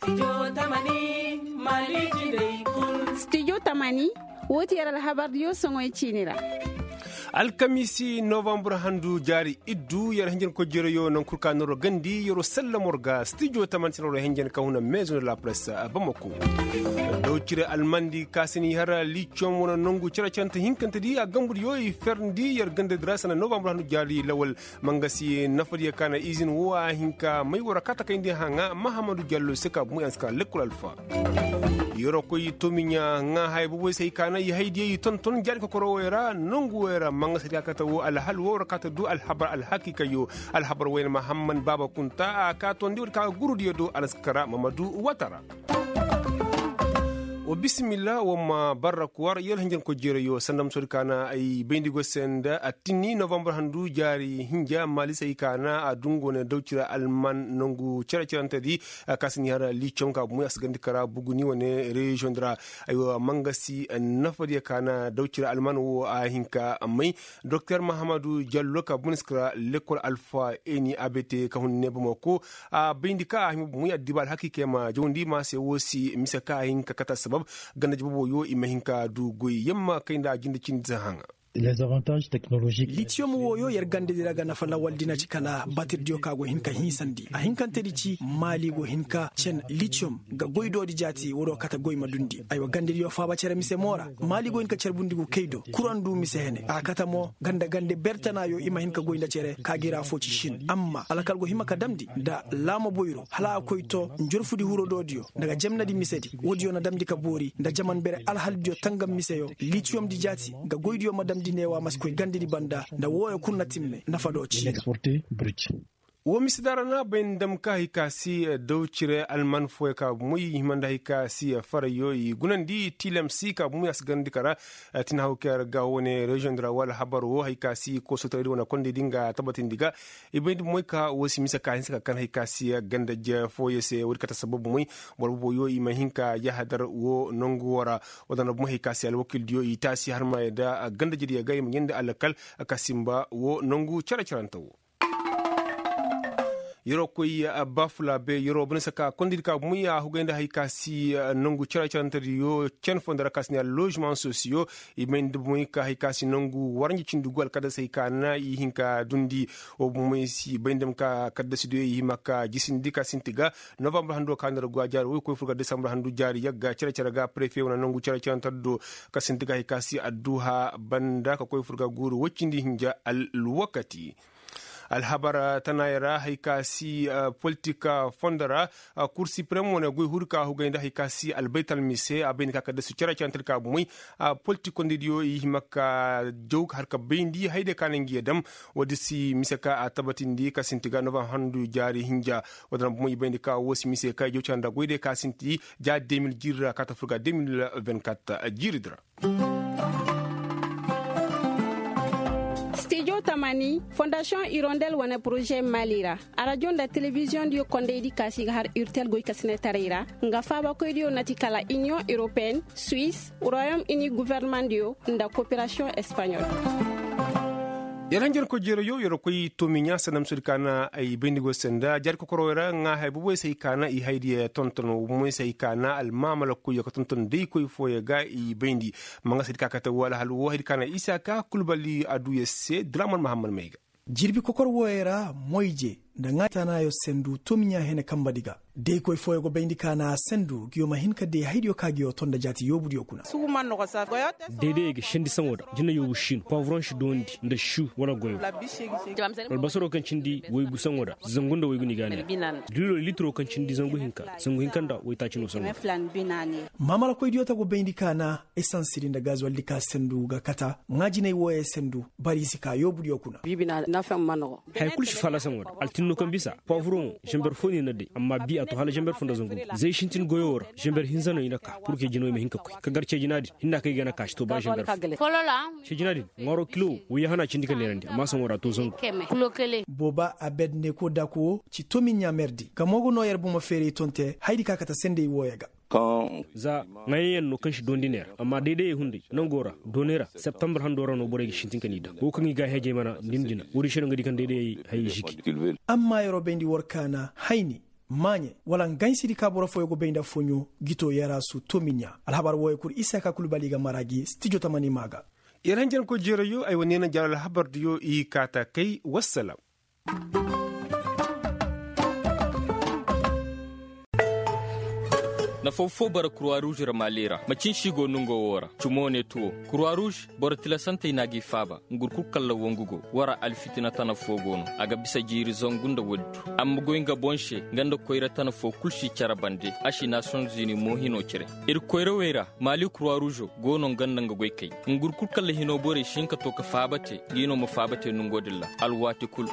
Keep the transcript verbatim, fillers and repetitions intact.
Studio tamani, woo ti yer alhabardiyo soŋoy ciini ra. Alkamiisi novambar handu jaari iddu yer hinjan kojjerayo naŋ kul ka noro gandi yero sallamor ga studio tamani sinoro hinjan ka huna meezo nda la presse. Bamako daw cire almandi ka sini har liciyon wane nongu cere cerante hinkante di a gambudiyo i ferndi yer gandadi ra sana novambar handu jaari lawal. Mangasi nafadiya ka na izin wo a hin ka may wara ka takayndi haŋa mahamadu jallo se ka bumu yaŋ si ka lekkol alfa. Yero koy tomiɲa ŋa haya boboy se hay ka na i haydiyey i tonton jaari kokoro woy ra nongu woy ra mangasi di ka kate wo alhal wo wara ka ta du alhabar alhakiikayyo. Alhabar woy na mahamman baaba kunta a ka tondi wadi ka gurudiyo do alaskara mamadu watara. Wa bisimilla wa ma barra kuwar yar hinjanko jeerayo sanda ma soodi ka na ay bayndi go se nda attinni novambar handu jaari hinja maalisey ka na a dungo ne dawcira alman nangu cere-cerante di. Ka si ni har liicom ka bumey a si gandi kara buguni wane reziyoŋ di ra. Aywa mangasi nafadiya ka na dawcira alman wo a hin ka may doktor mahamadu jallo ka bumey ni si kara lekkol alfa eni abete ka hun ne bamako. A bayndi ka a hima bumey addiba alhakiikey ma jawndi ma se wo si mise ka a hin ka kate assabab ganda jababo yo i ma hin ka du goy yamma kay nda a jinde cindi si haŋa. Litiyom wooyo yer gandedi ra ga nafa lawal di na ci kala batirdiyo ka go hin ka hiisandi a hinkantedi ci maali go hin ka cen litiyom ga goy doodi jaati woodoo kate goy ma dundi aywa gandediyo faaba cere mise mo ra maali go hin ka cere bundi gu kay do kuraŋ du mise hene a kate mo ganda gande bertanaayo i ma hin ka goy nda cere ka gi ra fo ci sin amma alkal go hima ka damndi nda laama boyro hala a koy to njorfudi hurodoodiyo nda ga jemnadi misedi woodiyo na damndi ka boori nda jaman bere alhaldiyo tangam miseyo litiyomdi jaati nga goydiyo ma damndi neewa ma si koy gandedi banda nda wooyo kul na timme nafa do ci. Woo mise da ra na bay nda dam ka hay ka si daw cire alman fooyo ka bumey i hima nda hay ka si farayyo i gunandi tiilam si ka bumey a si garandi kara. Tin haw kay ra ga wane reziyoŋ di ra wala habar woo hay ka si koosotaraydi wane kondaydi nga tabatindi ga i bayndi bumey ka woo si mise ka hinsa ka kan hay ka si ganda je fooyo se woodi kate sabab bumey boro boobo yo i ma hin ka yahadar woo nangu woo ra. Woo da na bumey hay ka si alwakildiyo i taasi har ma yadda ganda jediyo ga i ma ɲandi alkal ka sinba woo nangu cere-cerante woo. Yeroo koy bafulaabe yeroo bane se ka kondaydi ka bumey a hugay nda hay ka si nangu cere-cerantediyo cen fondo ra ka si ne allozimaŋ sosiyo. I may nda bumey ka hay ka si nangu waranja cindi gu alkadasey ka na i hin ka dundi. Woo bumey si bay nda ma ka kaddasidiyo i hima ka jisindi ka sinti ga novambar hando ka nda ra go a jaari woy koy fur ga desambur handu jaari yagga cere-cere ga prefe wane nangu cere-ceranteddo ka sinti ga hay ka si adduha banda ka koy fur ga guuru woy cindi hinja alwakati. Alhabar tanaayey ra hay ka si politik fondo ra kur siprem wane goy huri ka hugay nda hay ka si albaytal mise a bayndi ka kaddasu cere-cerante di ka bumey politik kondaydiyo i hima ka jaw ka har ka bayndi haydiyo ka na ngi ye dam. Woodi si mise ka a tabatindi ka sinti ga novambar handu jaari hinja. Woodi na bumey i bayndi ka woo si mise ka i jaw cere nda goydiyo ka sinti ja de mil jiiri ra ka ta fur ga de mil vingt-quatre jiiridi ra. Studio tamani fondasiyoŋ irondel wane poroze mali ra arajo nda telebiziyoŋdiyo kondaydi ka si ga har urtel goykasinatarey ra nga faabakoydiyo na ti kala iniyoŋ europeyenne suwis royom ini governemandiyo nda koperasiyoŋ espaɲol. Yer hanjarkoy jeerayo yer koy toomiɲa sanda ma soodi ka na ay bayndi go se nda jaari kokorowey ra ŋaa haya boboy se ay ka na i haydiyo tonton boboy se ay ka na almaamalakoyyo ka tonton daykoy fooyo ga i bayndi. Manga se di ka kate woo alhal woo haydi ka na isa ka kulbali aduya se draman mahammad may ga. Jirbi kokor wooyo ra moyje nda ŋaa tanaayo sendu toomiɲa hene kambadi ga. Daykoy fooyo go bayndi ka na a sendu ngiyo ma hin ka day haydiyo ka ngiyo to nda jaati yoobudiyo kuna. Daydayey ga sendi saŋo da jina yoobu siino paaburoŋ si doondi nda su wala goyo. Albasaro kaŋ cindi waygu saŋo da zangu nda waygu ni ga a neera. Dilo litiro kaŋ cindi zangu hinka zangu hinka nda waytaaci no saŋo da. Maamalakoydiyo ta go bayndi ka na esansidi nda gazuwaldi ka sendu ga kata ŋaa jinay wooyo sendu bari i si ka yoobudiyo kuna. Haya kulu si faala saŋo da altinno kaŋ bisa paaburoŋo zamber fo no i na day amma bi a to hala zamber fo nda zangu zay sintin goyo ra zamber hinza no i na ka purke jino i ma hin ka koy ka gar ceejina din hinna kaŋ i ga na ka si to ba zamber fo. Ceejina din ŋwaaro kilo wayya hana cindi ka neerandi amma saŋo ra to zangu. Booba abed ne ko dako wo ci tomiɲa merdi gamo ga no yer bomo feeray tonte haydi ka kate sendey wooyo ga. Za ŋaayaŋ yaŋ no kaŋ si doondi neera amma daydayey hunday nango ra doonay ra septambar hando ra no borey ga sintin ka n'i daŋ wo kaŋ i ga a heejay mana ndin dina woodin se no nga di kaŋ daydayey hayey ziki. Amma yeroo bayndi war kaana hayni Maaɲe wala ngansidi ka boro fooyoo go bay nda foɲo gitoo yaraasu toomiɲa. Alhabar wooyoo kul isa ka kul bali ga mara gi stijo tamani maa ga. Iranjanko jeerayo ay wane na jara alhabar diyo i kaata kay. Wassalam. Nafaw foo bara kurwa ruuz ra maali ra macin se i go nongoo woo ra cumoo ne tuwo. Kurwa ruuz boro tilasantey na g'i faaba. Ngur kul kalla wongu go wara alfitina tana foo go no. A ga bisa jiiri zangu nda woodi du. Amma goy nga boŋ se nga nda koyra tana foo kul si care bande. A si naasiyoŋ zini mo hinoo cire. Ir koyrawey ra maali kurwa ruuzo go no nga nda nga goykey. Ngur kul kalla hinoo borey si hin ka too ka faaba te. Ngi no ma faaba te nongoo din ra alwaati kul.